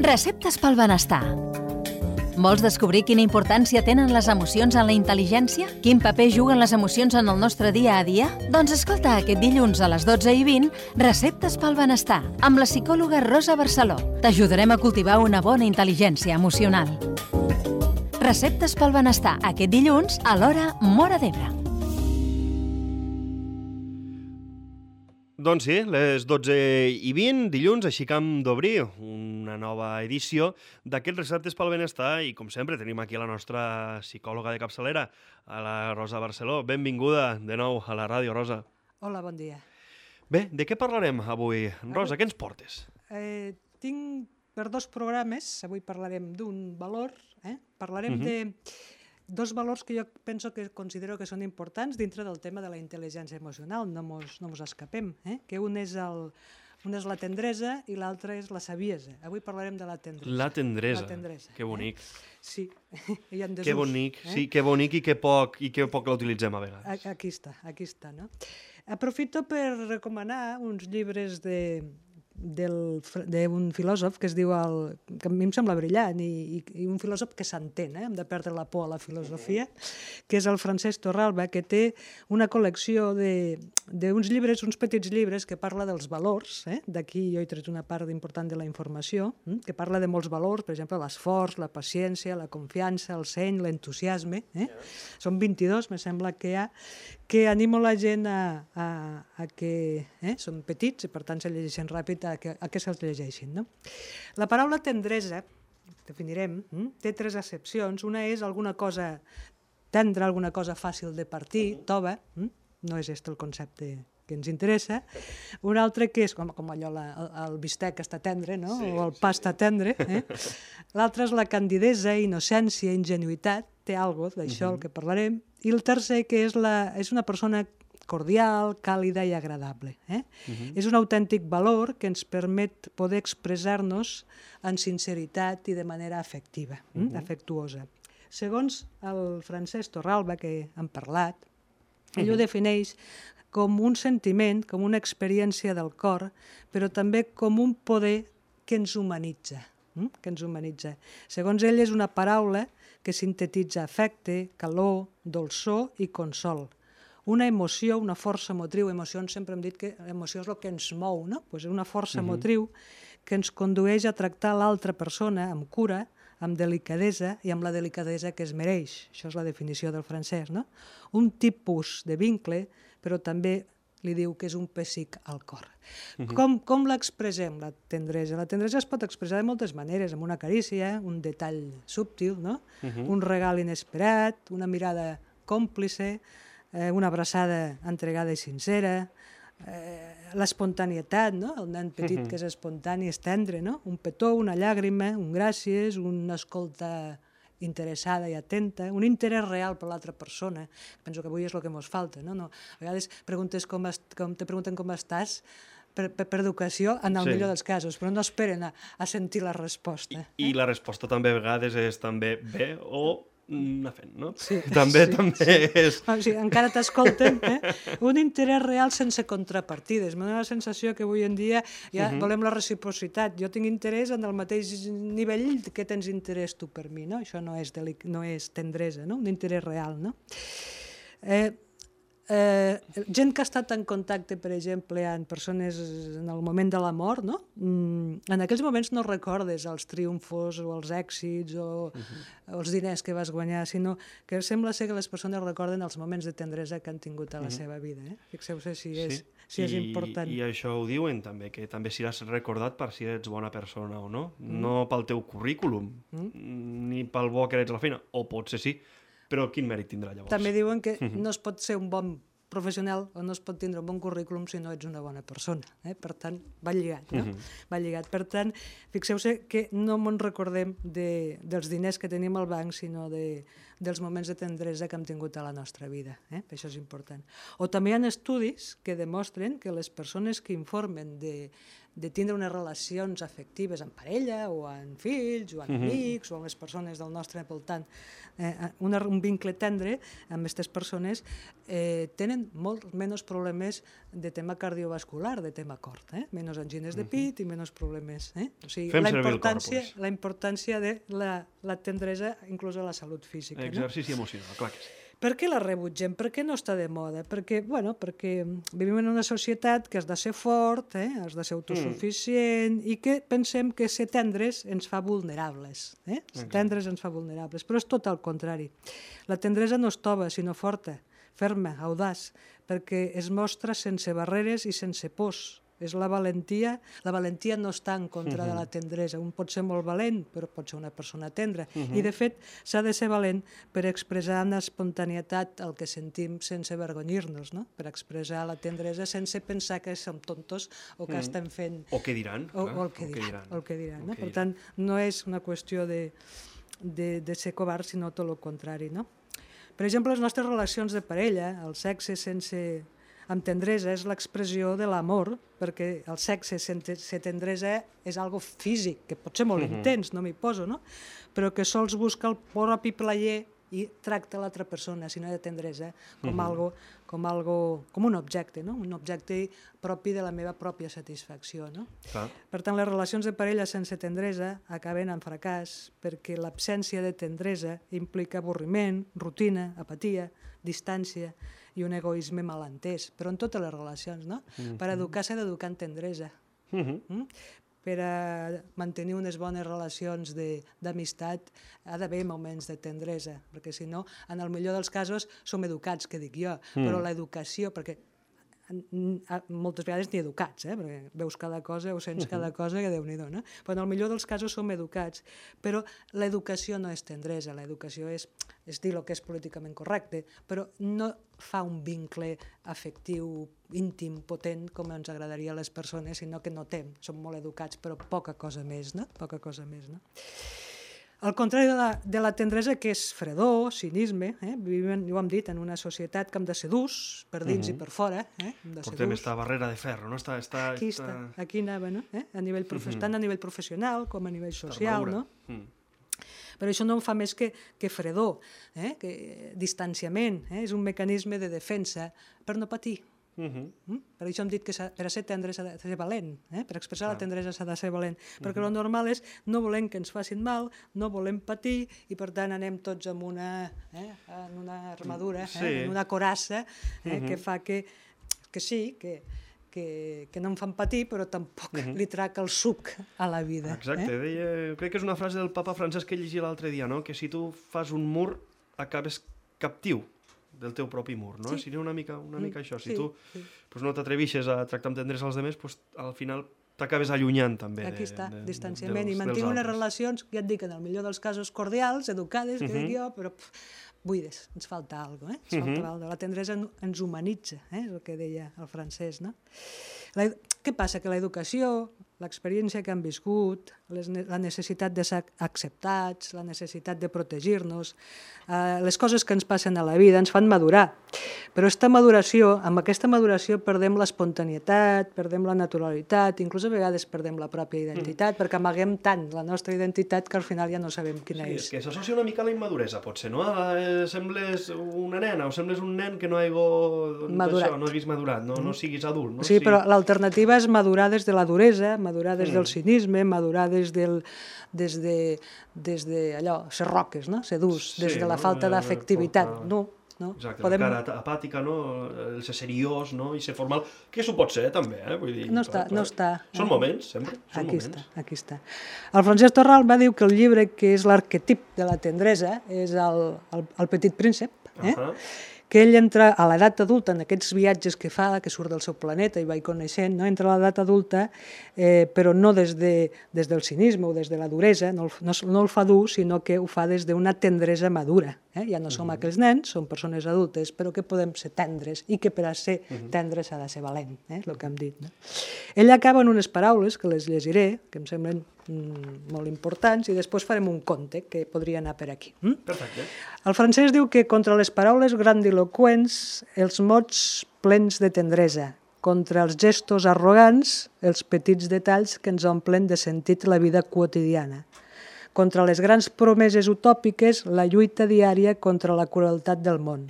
Receptes pel benestar. Vols descobrir quina importància tenen les emocions en la intel·ligència? Quin paper juguen les emocions en el nostre dia a dia? Doncs escolta aquest dilluns a les 12:20 Receptes pel benestar amb la psicòloga Rosa Barceló. T'ajudarem a cultivar una bona intel·ligència emocional. Receptes pel benestar aquest dilluns a l'hora Móra d'Ebre. Doncs sí, les 12:20, dilluns, així que hem d'obrir una nova edició d'aquests receptes pel benestar i, com sempre, tenim aquí la nostra psicòloga de capçalera, a la Rosa Barceló. Benvinguda de nou a la ràdio, Rosa. Hola, bon dia. Bé, de què parlarem avui? Rosa, què ens portes? Tinc per dos programes, avui parlarem d'un valor, parlarem de dos valors que jo considero que són importants dintre del tema de la intel·ligència emocional, no mos escapem, que un és la tendresa i l'altre és la saviesa. Avui parlarem de la tendresa. La tendresa, que bonic. Sí, hi ha desús. Que bonic, sí, que bonic i que poc la utilitzem a vegades. Aquí està, no? Aprofito per recomanar uns llibres d'un filòsof que es diu, que a mi em sembla brillant, i un filòsof que s'entén, hem de perdre la por a la filosofia, que és el Francesc Torralba, que té una col·lecció d'uns llibres, uns petits llibres que parla dels valors, d'aquí jo he tret una part important de la informació, que parla de molts valors, per exemple, l'esforç, la paciència, la confiança, el seny, l'entusiasme, són 22, me sembla que hi ha, que animo la gent a que són petits i per tant se llegeixen ràpid a que se'ls llegeixin. La paraula tendresa, definirem, té tres accepcions. Una és alguna cosa tendra, alguna cosa fàcil de partir, tova, no és aquest el concepte que ens interessa. Un altre que és com allò, el bistec està tendre, o el pa està tendre. L'altre és la candidesa, innocència, ingenuïtat, té alguna cosa d'això, el que parlarem. I el tercer, que és una persona cordial, càlida i agradable. És un autèntic valor que ens permet poder expressar-nos en sinceritat i de manera afectiva, afectuosa. Segons el Francesc Torralba, que hem parlat, ell ho defineix com un sentiment, com una experiència del cor, però també com un poder que ens humanitza. Segons ell, és una paraula que sintetitza afecte, calor, dolçor i consol. Una emoció, una força motriu. Emocions, sempre hem dit que l'emoció és el que ens mou, no? És una força motriu que ens condueix a tractar l'altra persona amb cura, amb delicadesa i amb la delicadesa que es mereix. Això és la definició del francès, no? Un tipus de vincle, però també li diu que és un pessic al cor. Com l'expressem, la tendresa? La tendresa es pot expressar de moltes maneres, amb una carícia, un detall subtil, no? Un regal inesperat, una mirada còmplice, una abraçada entregada i sincera, l'espontanietat, el nen petit que és espontani, és tendre, un petó, una llàgrima, un gràcies, una escolta interessada i atenta, un interès real per l'altra persona. Penso que avui és el que ens falta. A vegades te pregunten com estàs per educació, en el millor dels casos, però no esperen a sentir la resposta. I la resposta també a vegades és també bé o anar fent, no? Sí. També és... Encara t'escolten. Un interès real sense contrapartides. M'ha donat la sensació que avui en dia ja volem la reciprocitat. Jo tinc interès en el mateix nivell que tens interès tu per mi, no? Això no és tendresa, no? Un interès real, no? Gent que ha estat en contacte, per exemple, amb persones en el moment de la mort, no? En aquells moments no recordes els triomfos o els èxits o els diners que vas guanyar, sinó que sembla ser que les persones recorden els moments de tendresa que han tingut a la seva vida. Fixeu-se si és important. I això ho diuen també, que també seràs recordat per si ets bona persona o no. No pel teu currículum, ni pel bo que eres a la feina, o potser sí, però quin mèrit tindrà llavors? També diuen que no es pot ser un bon professional o no es pot tindre un bon currículum si no ets una bona persona. Per tant, va lligat, no? Va lligat. Per tant, fixeu-se que no ens recordem dels diners que tenim al banc, sinó dels moments de tendresa que hem tingut a la nostra vida. Això és important. O també hi ha estudis que demostren que les persones que informen de tindre unes relacions afectives amb parella o amb fills o amb amics o amb les persones del nostre voltant, un vincle tendre amb aquestes persones, tenen molt menys problemes de tema cardiovascular, de tema cor, menys angines de pit i menys problemes. O sigui, la importància de la tendresa inclús a la salut física. Exercici emocional, clar que sí. Per què la rebutgem? Per què no està de moda? Perquè vivim en una societat que has de ser fort, has de ser autosuficient i que pensem que ser tendres ens fa vulnerables. Ser tendres ens fa vulnerables, però és tot el contrari. La tendresa no és tova, sinó forta, ferma, audaç, perquè es mostra sense barreres i sense pors. És la valentia. La valentia no està en contra de la tendresa. Un pot ser molt valent, però pot ser una persona tendra. I, de fet, s'ha de ser valent per expressar amb espontanietat el que sentim sense avergonyir-nos, no? Per expressar la tendresa sense pensar que som tontos o que estem fent... O què diran. O el que diran. Per tant, no és una qüestió de ser covard, sinó tot el contrari, no? Per exemple, les nostres relacions de parella, el sexe amb tendresa és l'expressió de l'amor, perquè el sexe sense tendresa és algo físic, que pot ser molt intens, no m'hi poso, no? Però que sols busca el propi plaer i tracta l'altra persona, si no hi ha tendresa, com un objecte, no? Un objecte propi de la meva pròpia satisfacció, no? Per tant, les relacions de parella sense tendresa acaben en fracàs, perquè l'absència de tendresa implica avorriment, rutina, apatia, distància i un egoisme malentès, però en totes les relacions, no? Per educar s'ha d'educar en tendresa. Per a mantenir unes bones relacions d'amistat ha d'haver moments de tendresa, perquè si no, en el millor dels casos, som educats, que dic jo, però l'educació, perquè moltes vegades ni educats, perquè veus cada cosa o sents cada cosa que Déu-n'hi-do, no? Però en el millor dels casos som educats, però l'educació no és tendresa, l'educació és dir el que és políticament correcte, però no fa un vincle afectiu, íntim, potent, com ens agradaria a les persones, sinó que notem, som molt educats, però poca cosa més, no? Poca cosa més, no? Al contrari de la tendresa, que és fredor, cinisme, vivim, ja ho hem dit, en una societat que hem de ser durs, per dins i per fora. Portem esta barrera de ferro, no? Aquí anava, no? Tant a nivell professional com a nivell social, no? Però això no fa més que fredor, que distanciament, és un mecanisme de defensa per no patir. Per això hem dit que per a ser tendre s'ha de ser valent, per expressar la tendresa s'ha de ser valent, perquè el normal és no volem que ens facin mal, no volem patir i per tant anem tots amb una armadura, en una coraça que fa que sí, que no em fan patir però tampoc li trac el suc a la vida. Exacte, crec que és una frase del papa Francesc que llegia l'altre dia, que si tu fas un mur acabes captiu del teu propi mur, no? Seria una mica això. Si tu no t'atrevixes a tractar amb tendresa als altres, al final t'acabes allunyant també. Aquí està, distanciament. I mantinc unes relacions, ja et dic, en el millor dels casos cordials, educades, que dic jo, però buides, ens falta alguna cosa, ens falta alguna cosa. La tendresa ens humanitza, és el que deia el francès, no? Què passa? Que l'educació, l'experiència que han viscut, la necessitat de ser acceptats, la necessitat de protegir-nos, les coses que ens passen a la vida ens fan madurar. Però amb aquesta maduració perdem l'espontanietat, perdem la naturalitat, inclús a vegades perdem la pròpia identitat, perquè amaguem tant la nostra identitat que al final ja no sabem quina és. És que s'associa una mica a la immaduresa, potser, no? Sembles una nena o sembles un nen que no haguis madurat, no siguis adult. Sí, però l'alternativa és madurar des de la duresa, madurar des del cinisme, madurar des de allò, ser roques, no? Ser durs, des de la falta d'afectivitat. No. Exacte, la cara apàtica, el ser seriós i ser formal, que s'ho pot ser també, vull dir... No està. Són moments, sempre. Aquí està. El Francesc Torral va dir que el llibre que és l'arquetip de la tendresa és el Petit Príncep, que ell entra a l'edat adulta, en aquests viatges que fa, que surt del seu planeta i va coneixent, entra a l'edat adulta, però no des del cinisme o des de la duresa, no el fa dur, sinó que ho fa des d'una tendresa madura. Ja no som aquells nens, som persones adultes, però que podem ser tendres i que per a ser tendres s'ha de ser valent, és el que hem dit. Ell acaba en unes paraules que les llegiré, que em semblen molt importants, i després farem un conte que podria anar per aquí. Perfecte. El francès diu que contra les paraules grandiloqüents, els mots plens de tendresa, contra els gestos arrogants, els petits detalls que ens omplen de sentit la vida quotidiana. Contra les grans promeses utòpiques, la lluita diària contra la crueltat del món.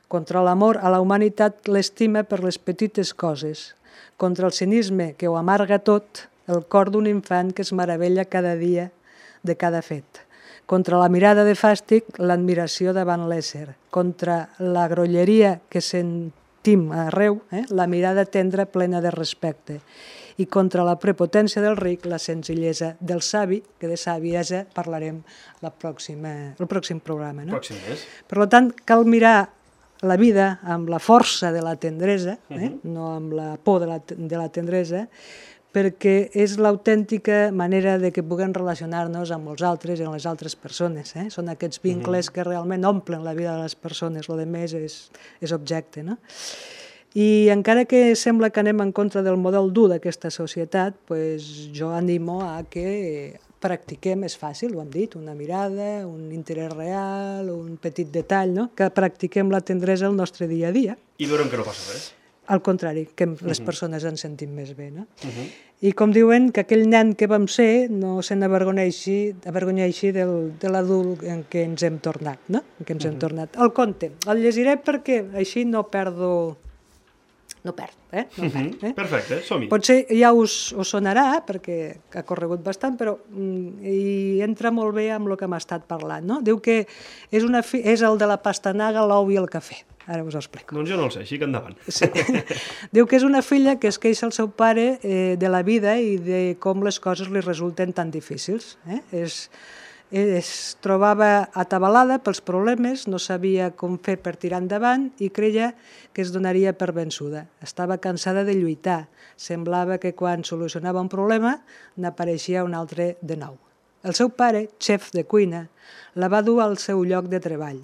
Contra l'amor a la humanitat, l'estima per les petites coses. Contra el cinisme que ho amarga tot, el cor d'un infant que es meravella cada dia de cada fet. Contra la mirada de fàstic, l'admiració davant l'ésser. Contra la grolleria que sentim arreu, la mirada tendra plena de respecte. I contra la prepotència del ric, la senzillesa del savi, que de saviesa parlarem el pròxim programa. No? Pròxim mes. Per tant, cal mirar la vida amb la força de la tendresa, no amb la por de la tendresa, perquè és l'autèntica manera de que puguem relacionar-nos amb els altres i amb les altres persones. Són aquests vincles que realment omplen la vida de les persones, el més és objecte. No? I encara que sembla que anem en contra del model dur d'aquesta societat, jo animo a que practiquem, és fàcil, ho hem dit, una mirada, un interès real, un petit detall, no? Que practiquem la tendresa al nostre dia a dia. I veurem que no passa res. Al contrari, que les persones ens sentim més bé. No? I com diuen, que aquell nen que vam ser no se n'avergonyeixi de l'adult en què ens hem tornat. No? El conte. El llegiré perquè així no perdo... No perd. Perfecte, som-hi. Potser ja us sonarà, perquè ha corregut bastant, però hi entra molt bé amb el que hem estat parlant. No? Diu que és el de la pastanaga, l'ou i el cafè. Ara us ho explico. Doncs jo no el sé, així que endavant. Sí. Diu que és una filla que es queixa al seu pare de la vida i de com les coses li resulten tan difícils. Es trobava atabalada pels problemes, no sabia com fer per tirar endavant i creia que es donaria per vençuda. Estava cansada de lluitar. Semblava que quan solucionava un problema n'apareixia un altre de nou. El seu pare, xef de cuina, la va dur al seu lloc de treball.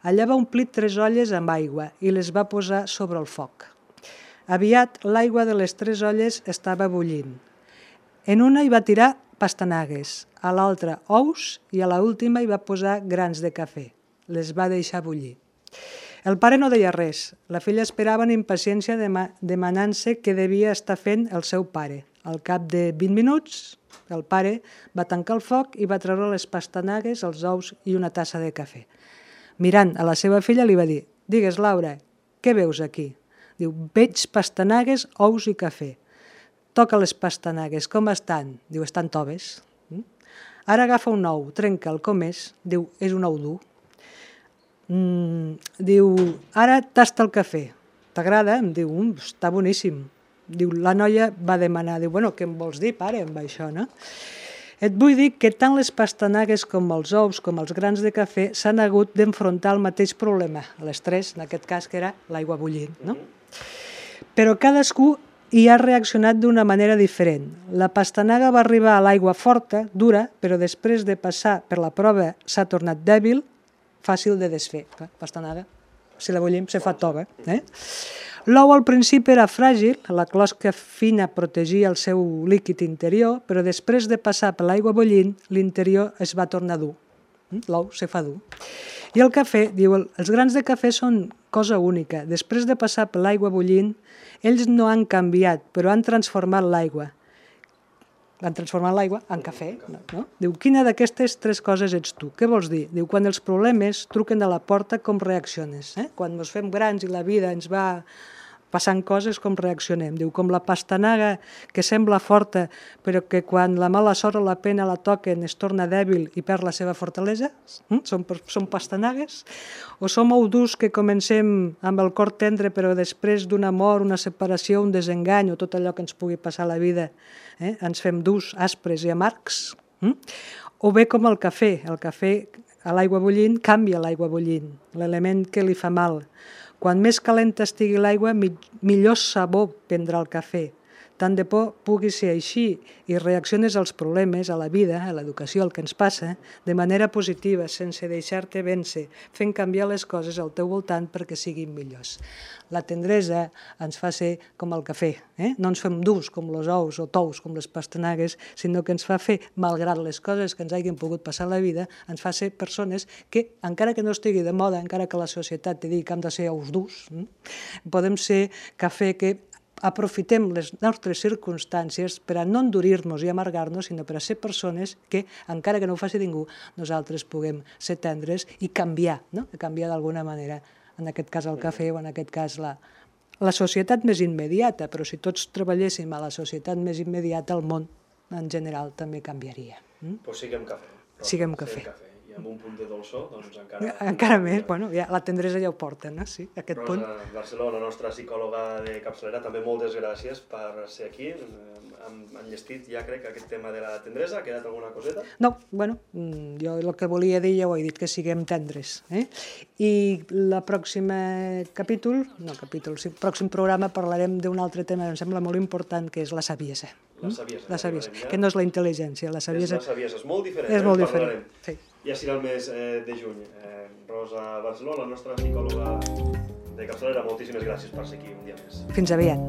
Allà va omplir 3 olles amb aigua i les va posar sobre el foc. Aviat l'aigua de les 3 olles estava bullint. En una hi va tirar pastanagues, a l'altra ous i a l'última hi va posar grans de cafè. Les va deixar bullir. El pare no deia res. La filla esperava amb impaciència demanant-se què devia estar fent el seu pare. Al cap de 20 minuts, el pare va tancar el foc i va treure les pastanagues, els ous i una tassa de cafè. Mirant a la seva filla li va dir: «Digues, Laura, què veus aquí?» Diu: «Veig pastanagues, ous i cafè». «Toca les pastanagues, com estan?» Diu: «Estan toves». «Ara agafa un ou, trenca'l, com és?» Diu: «És un ou dur». Diu: «Ara tasta el cafè. T'agrada?» Em diu: «Està boníssim». Diu: la noia va demanar, diu: «Bueno, què em vols dir, pare, amb això, no?» Et vull dir que tant les pastanagues com els ous com els grans de cafè s'han hagut d'enfrontar al mateix problema, les 3, en aquest cas, que era l'aigua bullint, no? Però cadascú hi ha reaccionat d'una manera diferent. La pastanaga va arribar a l'aigua forta, dura, però després de passar per la prova s'ha tornat dèbil, fàcil de desfer. La pastanaga, si la bullim, se fa tova. L'ou al principi era fràgil, la closca fina protegia el seu líquid interior, però després de passar per l'aigua bullint, l'interior es va tornar dur. L'ou se fa dur. I el cafè, diu, els grans de cafè són cosa única. Després de passar per l'aigua bullint, ells no han canviat, però han transformat l'aigua. Han transformat l'aigua en cafè. No? Diu, quina d'aquestes 3 coses ets tu? Què vols dir? Diu, quan els problemes truquen a la porta, com reacciones? Quan ens fem grans i la vida ens va passant coses, com reaccionem? Diu, com la pastanaga que sembla forta, però que quan la mala sort o la pena la toquen es torna dèbil i perd la seva fortalesa? Som pastanagues? O som durs que comencem amb el cor tendre, però després d'un amor, una separació, un desengany o tot allò que ens pugui passar a la vida, ens fem durs, aspres i amargs? O bé com el cafè a l'aigua bullint canvia l'aigua bullint, l'element que li fa mal. Quan més calenta estigui l'aigua, millor sabor prendrà el cafè. Tant de por pugui ser així i reacciones als problemes, a la vida, a l'educació, el que ens passa, de manera positiva, sense deixar-te vèncer, fent canviar les coses al teu voltant perquè siguin millors. La tendresa ens fa ser com el cafè. No ens fem durs com els ous o tous com les pastanagues, sinó que ens fa fer, malgrat les coses que ens hagin pogut passar a la vida, ens fa ser persones que, encara que no estigui de moda, encara que la societat te digui que hem de ser ous durs, podem ser cafè que aprofitem les nostres circumstàncies per a no endurir-nos i amargar-nos, sinó per a ser persones que, encara que no ho faci ningú, nosaltres puguem ser tendres i canviar, no? Canviar d'alguna manera, en aquest cas el cafè o en aquest cas la societat més immediata, però si tots treballéssim a la societat més immediata, el món en general també canviaria. Pues siguem cafè. Siguem cafè. I amb un punt de dolçor, doncs encara... Encara més, bueno, ja, la tendresa ja ho porta, no? Sí, aquest punt. Rosa Barceló, la nostra psicòloga de capçalera, també moltes gràcies per ser aquí. Hem enllestit ja, crec, aquest tema de la tendresa. Ha quedat alguna coseta? No, bueno, jo el que volia dir ja ho he dit, que siguem tendres. I la pròxima pròxim programa parlarem d'un altre tema que em sembla molt important, que és la saviesa. La saviesa, que no és la intel·ligència. La saviesa és molt diferent. És molt diferent, sí. Ja serà el mes de juny. Rosa Barceló, la nostra psicòloga de capçalera, moltíssimes gràcies per ser aquí un dia més. Fins aviat.